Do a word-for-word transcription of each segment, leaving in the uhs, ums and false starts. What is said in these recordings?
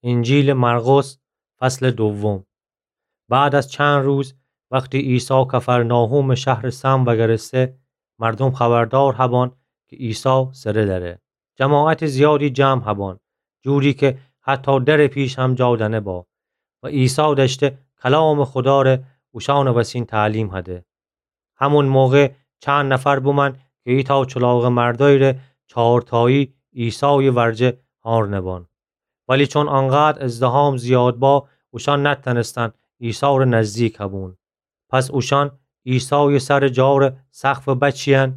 انجیلٚ مرقس، فصلٚ دوم. بعد از چند روز، وختی عیسی کفرناحومٚ شهرٚ سم وگرسته، مردوم خبردار هبان کی عیسی سره دأره. جماعتٚ زیادی جمع هبان، جوری کی حتی درٚ پیش هم جا دأنه با. و عیسی دأشته کلامٚ خوداره اوشانٚ وسین تعلیم هده. همون موقع چند نفر بومأن کی ایتأ چولاغٚ مردأیی ره چارتایی عیسایٚ ورجه هارنه بان. ولی چون انقدر ازدحام زیاد با، اوشان نتأنستن عیسی ره نزدیک هبون. پس اوشان عیسایٚ سرٚ جارٚ سقف بچیأن.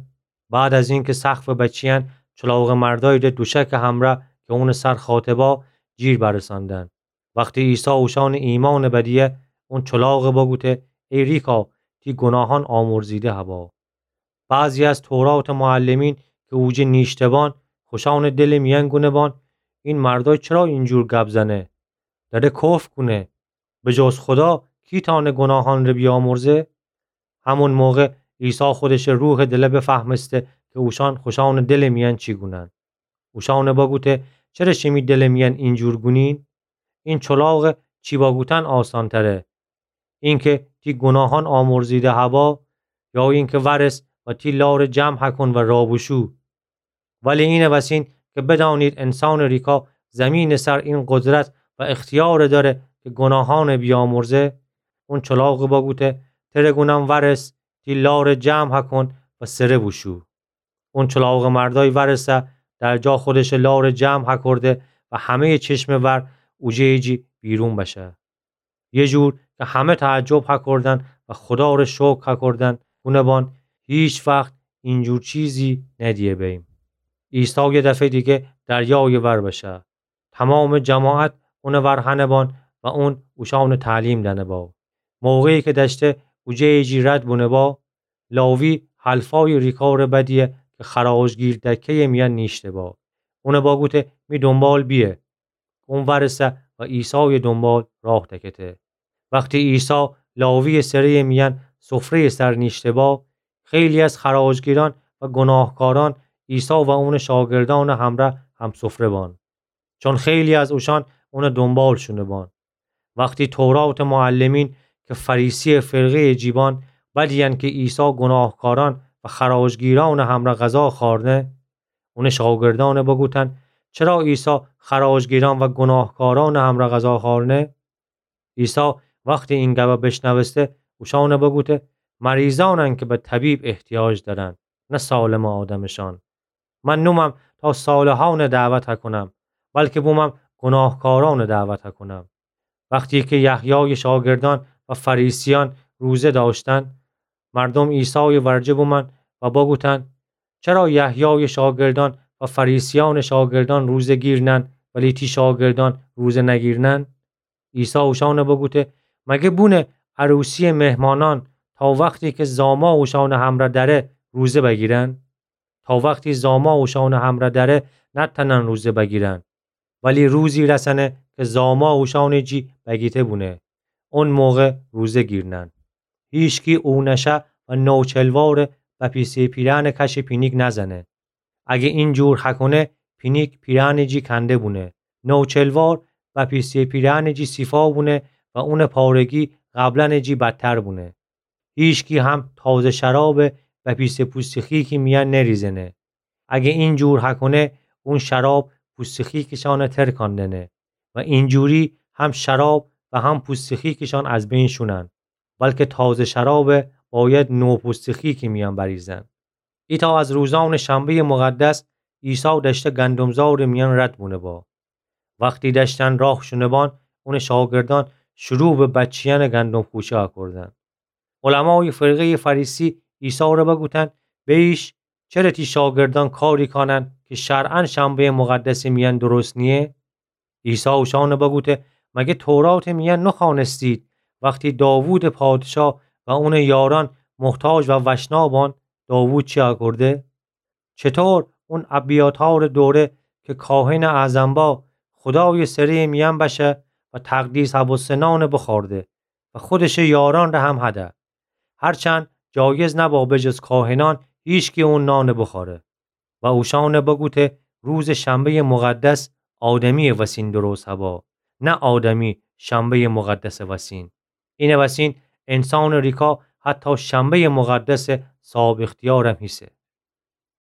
بعد از اینکه سقف بچیأن، چولاغٚ مردأیی ره دوشکٚ همرأ کی اونٚ سر خاطه با، جیر برساندن. وختی عیسی اوشانٚ ایمأنٚ بدیه، اون چولاغٚ بگوته: ای ریکا، تی گوناهأن آمرزیده هبا. بعضی از توراتٚ معلمین کی اوجه نیشته بان، خوشأنٚ دلٚ میأن گونه بان: این مردأی چرا اینجور گب زنه؟ دأره کفر کونه. به جز خودا کی تأنه گوناهأن ره بیامرزه؟ همون موقع عیسی خودشٚ روحٚ دله بفهمسته کی اوشان خوشأنٚ دلٚ میأن چی گونن. اوشأنٚ بگوته: چره شیمی دلٚ میأن اینجور گونین؟ این چولاغٚ چی بگوتن آسانتره؟ اینکه تی گوناهأن آمرزیده هبا، یا اینکه وأرس و تی لارٚ جمع هکون و رابوشو؟ ولی اینٚ وسین کی بدأنید انسانٚ ریکا زیمینٚ سر این قدرت و اختیار دأره کی گوناهأن بیامرزه، اون چولاغٚ بگوته: تره گونم وأرس، تی لارٚ جمع هکون و سره بوشو. اون چولاغٚ مردأی وأرسه، در جا خودشٚ لارٚ جمع هکورده و همه‌یٚ چشمٚ ور اوجه‌یٚ جی بیرون بشه. یه جور کی همه تعجب هکردن و خودا ره شکر هکردن، گونه بان: هیچ وخت اینجور چیزی ندیه بیم. عیسی یه دفعه دیگه دریایٚ ور بشه. تمامٚ جماعت اونٚ ور هنه بان و اون اوشأنٚ تعلیم دأنه با. موقعی کی دأشته اوجه‌یٚ جی رد بونه با، لاوی حلفایٚ ریکا ره بدیه کی خراجگیر دکه‌یٚ میأن نیشته با. اونٚ بگوته: می دونبال بیه. اون وأرسه و عیسایٚ دونبال راه دکته. وختی عیسی لاوییٚ سره‌یٚ میأن سفره‌یٚ سر نیشته با، خیلی از خراجگیرأن و گوناهکارأن عیسی و اونٚ شاگردأنٚ همرأ همسفره بان، چون خیلی از اوشأن اونٚ دونبال شونه بان. وختی توراتٚ معلمین کی فریسیٚ فرقه‌یٚ جی بان بدیأن کی عیسی گوناهکارأن و خراجگیرأنٚ همرأ غذا خأرنه، اونٚ شاگردأن بگوتن: چرا عیسی خراجگیرأن و گوناهکارأنٚ همرأ غذا خأرنه؟ عیسی وختی این گبه بیشنوسته، اوشأن بگوته: مریضأنن کی به طبیب احتیاج دأرن، نه سالمٚ آدمشأن. من نومم تا صالحأن دعوت هکونم، بلکی بومم گوناهکارأن دعوت هکونم. وختی کی یحیایٚ شاگردأن و فریسیأن روزه دأشتن، مردوم عیسایٚ ورجه بومأن و بگوتن: چرا یحیایٚ شاگردأن و فریسیأنٚ شاگردأن روزه‌گیر نن، ولی تی شاگردأن روزه نگیر نن؟ عیسی اوشأن بگوته: مگه بونه عروسیٚ مهمانأن تا وختی کی زاما اوشأنٚ همرأ دأره روزه بگیرن؟ تا وختی زاما اوشأنٚ همرأ دأره نتأنن روزه بگیرن. ولی روزی رسأنه کی زاما اوشأنٚ جی بگیته بونه. اون موقع روزه گیرنن. هیچکی اونشه و نوچلوار بپیسه پیرهنٚ کش پینیک نزنه. اگه این جور هکونه، پینیک پیرهنٚ جی کنده بونه. نوچلوار بپیسه پیرهنٚ جی سیفا بونه و اونٚ پارگی قبلنٚ جی بدتر بونه. هیچکی هم تازه شراب بپیسه پوستٚ خیکی میأن نریزنه. اگه این جور هکونه، اون شراب پوستٚ خیکشأن ترکان دنه و اینجوری هم شراب و هم پوستٚ خیکشأن از بین شونن، بلکی تازه شراب باید نو پوستٚ خیکی میأن بریزن. ایتأ از روزأنٚ شنبه‌یٚ مقدس، عیسی دأشته گندمزارٚ میأن رد بونه با. وختی دأشتن راه شونه بان، اونٚ شاگردأن شروع به بچیأنٚ گندم خوشه کردن. علمایٚ فرقه‌یٚ فریسی عیسی ره بگوتن: بیش، چره تی شاگردأن کاری کانن کی شرعاً شنبه‌یٚ مقدسٚ میأن درست نییه؟ عیسی اوشأن بگوته: مگه توراتٚ میأن نخوأنستید وختی داوودٚ پادشاه و اونٚ یارأن محتاج و وشنا بان، داوود چی کرده؟ چطور اون ابیاتارٚ دوره کی کاهنٚ اعظم با، خودایٚ سره‌یٚ میأن بشه و تقدیس هبوسته نان بخورده و خودشٚ یارأن ره هم هده؟ هرچند جایز نبا به جز کاهنأن هیچکی اون نان بخوره. و اوشأن بگوته: روزٚ شنبه‌یٚ مقدس آدمییٚ وسین درست هبا، نه آدمی شنبهٔ مقدسٚ وسین. اینٚ وسین انسانٚ ریکا حتی شنبهٔ مقدسٚ صاحب اختیارم هیسه.